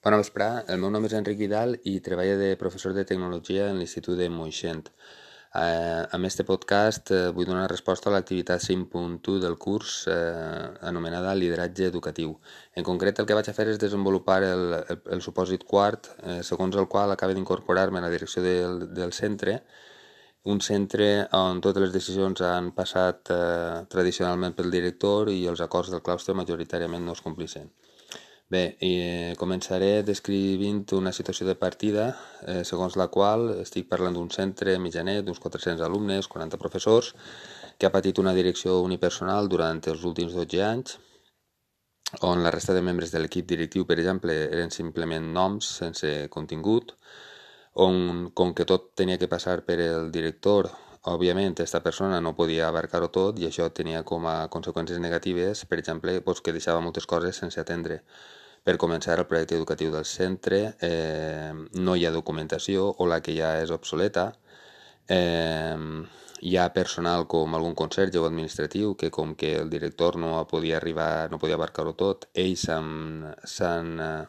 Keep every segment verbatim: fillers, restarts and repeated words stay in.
Bona vesprà, el meu nom és Enric Vidal i treballo de professor de tecnologia en l'Institut de Moixent. Eh, amb este podcast eh, vull donar resposta a l'activitat cinc punt u del curs eh, anomenada lideratge educatiu. En concret, el que vaig a fer és desenvolupar el, el, el supòsit quart, eh, segons el qual acaba d'incorporar-me a la direcció del, del centre, un centre on totes les decisions han passat eh, tradicionalment pel director i els acords del claustre majoritàriament no es complissin. Bé, eh, començaré descrivint una situació de partida eh, segons la qual estic parlant d'un centre mitjanet d'uns quatre-cents alumnes, quaranta professors, que ha patit una direcció unipersonal durant els últims dotze anys, on la resta de membres de l'equip directiu, per exemple, eren simplement noms sense contingut, on, com que tot tenia que passar per el director, òbviament, aquesta persona no podia abarcar-ho tot i això tenia com a conseqüències negatives, per exemple, doncs, que deixava moltes coses sense atendre. Per començar, el projecte educatiu del centre eh, no hi ha documentació o la que hi ha és obsoleta. Eh, hi ha personal com algun conserge o administratiu que com que el director no podia arribar, no podia abarcar-ho tot, ells s'han eh,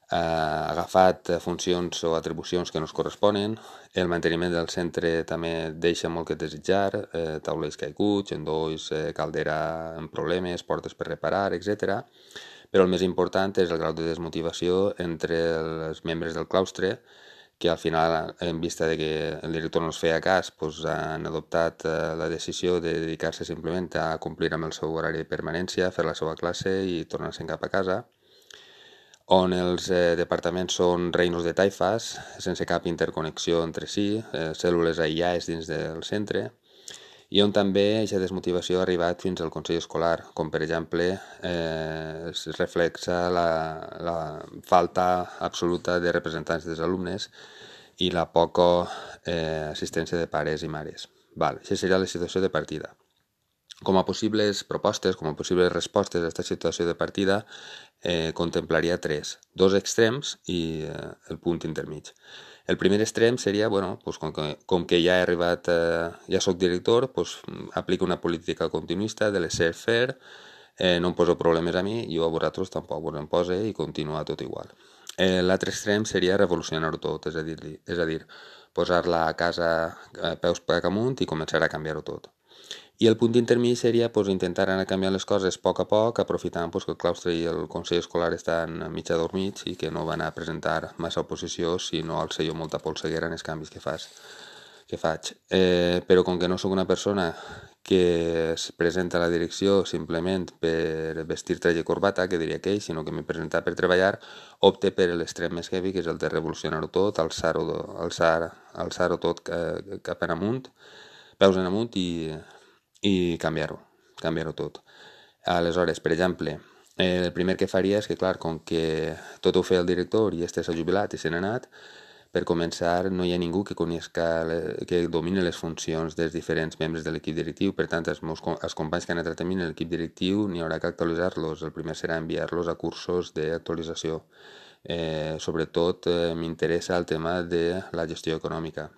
eh, agafat funcions o atribucions que no es corresponen. El manteniment del centre també deixa molt que desitjar, eh, taulells caiguts, endolls, eh, caldera amb problemes, portes per reparar, etcètera. Però el més important és el grau de desmotivació entre els membres del claustre, que al final, en vista de que el director no es feia cas, doncs han adoptat la decisió de dedicar-se simplement a complir amb el seu horari de permanència, fer la seva classe i tornar-se'n cap a casa, on els eh, departaments són reinos de taifes, sense cap interconnexió entre si, eh, cèl·lules aïllades dins del centre, i on també aquesta desmotivació ha arribat fins al Consell Escolar, com per exemple eh, es reflexa la, la falta absoluta de representants dels alumnes i la poca eh, assistència de pares i mares. Val, això seria la situació de partida. Com a possibles propostes, com a possibles respostes a aquesta situació de partida, eh, contemplaria tres, dos extrems i eh, el punt intermig. El primer extrem seria, bueno, pues com, que, com que ja he arribat, eh, ja soc director, pues, aplico una política continuista de laissez-faire, eh, no em poso problemes a mi, jo a vosaltres tampoc vos en pose i continua tot igual. Eh, L'altre extrem seria revolucionar-ho tot, és a dir, és a dir posar-la a casa a peus per amunt i començar a canviar-ho tot. I el punt intermig seria pues, intentar anar canviant les coses a poc a poc, aprofitant pues, que el claustre i el Consell Escolar estan mig adormits i que no van a presentar massa oposició, sinó al ser jo molta polseguera en els canvis que, fas, que faig. Eh, però com que no sóc una persona que es presenta a la direcció simplement per vestir traje i corbata, que diria aquell, sinó que m'he presentat per treballar, opte per l'extrem més heavy, que és el de revolucionar-ho tot, alçar-ho alçar, alçar tot cap en amunt, peus en amunt i... i canviar-ho, canviar-ho tot. Aleshores, per exemple, el primer que faria és que, clar, com que tot ho feia el director i este s'ha jubilat i se n'ha anat, per començar no hi ha ningú que coneixca, que domini les funcions dels diferents membres de l'equip directiu, per tant, els, meus, els companys que han entrat a mi en l'equip directiu n'hi haurà que actualitzar-los. El primer serà enviar-los a cursos d'actualització. Eh, sobretot eh, m'interessa el tema de la gestió econòmica.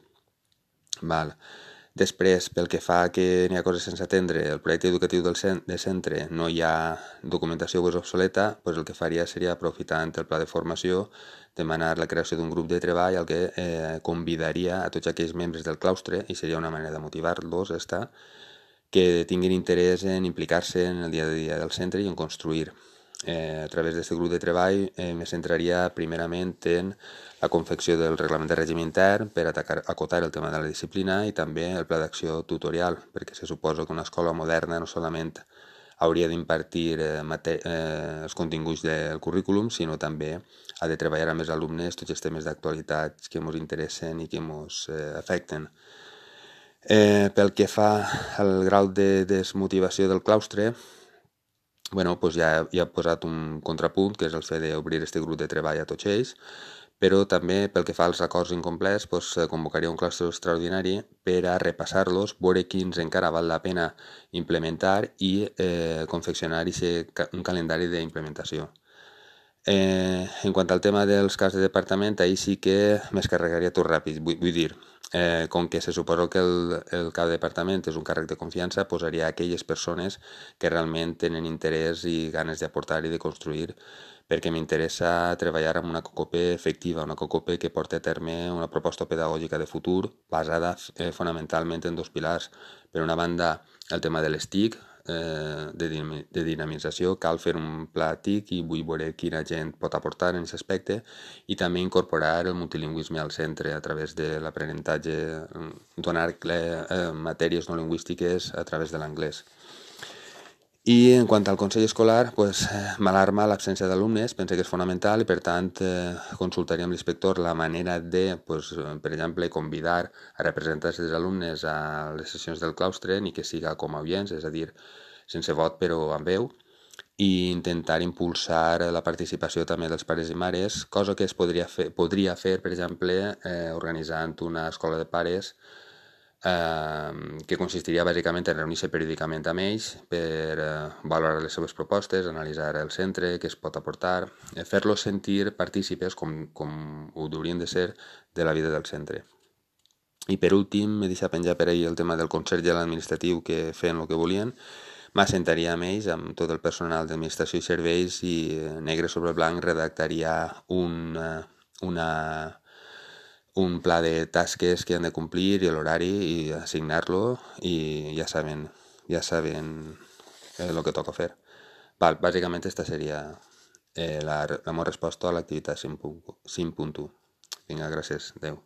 Val. Després, pel que fa que n'hi ha coses sense atendre, el projecte educatiu del centre no hi ha documentació o és obsoleta, doncs el que faria seria, aprofitant el pla de formació, demanar la creació d'un grup de treball al que eh, convidaria a tots aquells membres del claustre, i seria una manera de motivar-los, esta, que tinguin interès en implicar-se en el dia a dia del centre i en construir. Eh, a través d'aquest grup de treball eh, me centraria primerament en la confecció del reglament de règim intern per atacar, acotar el tema de la disciplina i també el pla d'acció tutorial, perquè se suposa que una escola moderna no solament hauria d'impartir eh, eh, els continguts del currículum, sinó també ha de treballar amb els alumnes tots els temes d'actualitat que ens interessen i que ens eh, afecten. Eh, pel que fa al grau de desmotivació del claustre, bueno, doncs ja, ja he posat un contrapunt, que és el fet d'obrir aquest grup de treball a tots ells, però també pel que fa als acords incomplets, doncs, convocaria un claustre extraordinari per a repassar-los, veure quins encara val la pena implementar i eh, confeccionar un calendari d'implementació. Eh, en quant al tema dels caps de departament, ahir sí que m'escarregaria tot ràpid, vull, vull dir, Eh, com que se suposa que el, el cap de departament és un càrrec de confiança, posaria aquelles persones que realment tenen interès i ganes d'aportar i de construir, perquè m'interessa treballar amb una COCOPE efectiva, una COCOPE que porti a terme una proposta pedagògica de futur basada eh, fonamentalment en dos pilars. Per una banda, el tema de les TIC, eh, de, de dinamització, cal fer un pla TIC i vull veure quina gent pot aportar en aquest aspecte, i també incorporar el multilingüisme al centre a través de l'aprenentatge, donar eh, matèries no lingüístiques a través de l'anglès. I en quant al Consell Escolar, pues, m'alarma l'absència d'alumnes, pense que és fonamental i per tant eh, consultaria amb l'inspector la manera de, pues, per exemple, convidar a representants dels alumnes a les sessions del claustre, ni que siga com a oients, és a dir, sense vot però amb veu, i intentar impulsar la participació també dels pares i mares, cosa que es podria fer, podria fer per exemple, eh, organitzant una escola de pares eh, que consistiria bàsicament en reunir-se periòdicament amb ells per eh, valorar les seves propostes, analitzar el centre, què es pot aportar, eh, fer-los sentir partícipes, com, com ho haurien de ser, de la vida del centre. I per últim, m'he deixat penjar per ahir el tema del Consell i l'administratiu, que feien el que volien. M'assentaria amb ells, amb tot el personal d'administració i serveis, i negre sobre blanc redactaria un, una, un pla de tasques que han de complir i l'horari i assignar-lo, i ja saben, ja saben eh, el que toca fer. Val, bàsicament aquesta seria eh, la, la meva resposta a l'activitat cinc punt u. Vinga, gràcies. Adéu.